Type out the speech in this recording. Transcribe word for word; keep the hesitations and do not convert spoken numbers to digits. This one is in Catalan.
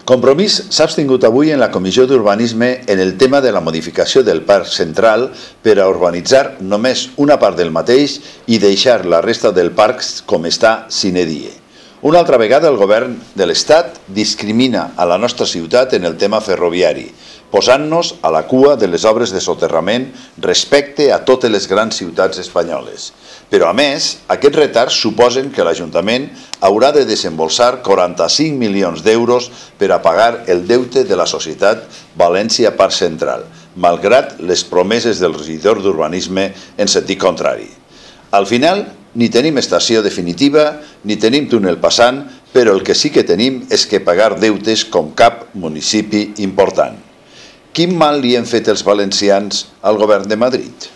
Compromís s'ha abstingut avui en la Comissió d'Urbanisme en el tema de la modificació del Parc Central per a urbanitzar només una part del mateix i deixar la resta del parc com està sine die. Una altra vegada el govern de l'Estat discrimina a la nostra ciutat en el tema ferroviari, posant-nos a la cua de les obres de soterrament respecte a totes les grans ciutats espanyoles. Però, a més, aquests retards suposen que l'Ajuntament haurà de desembolsar quaranta-cinc milions d'euros per a pagar el deute de la societat València Parc Central, malgrat les promeses del regidor d'Urbanisme en sentit contrari. Al final, ni tenim estació definitiva, ni tenim túnel passant, però el que sí que tenim és que pagar deutes com cap municipi important. Quin mal li han fet els valencians al govern de Madrid?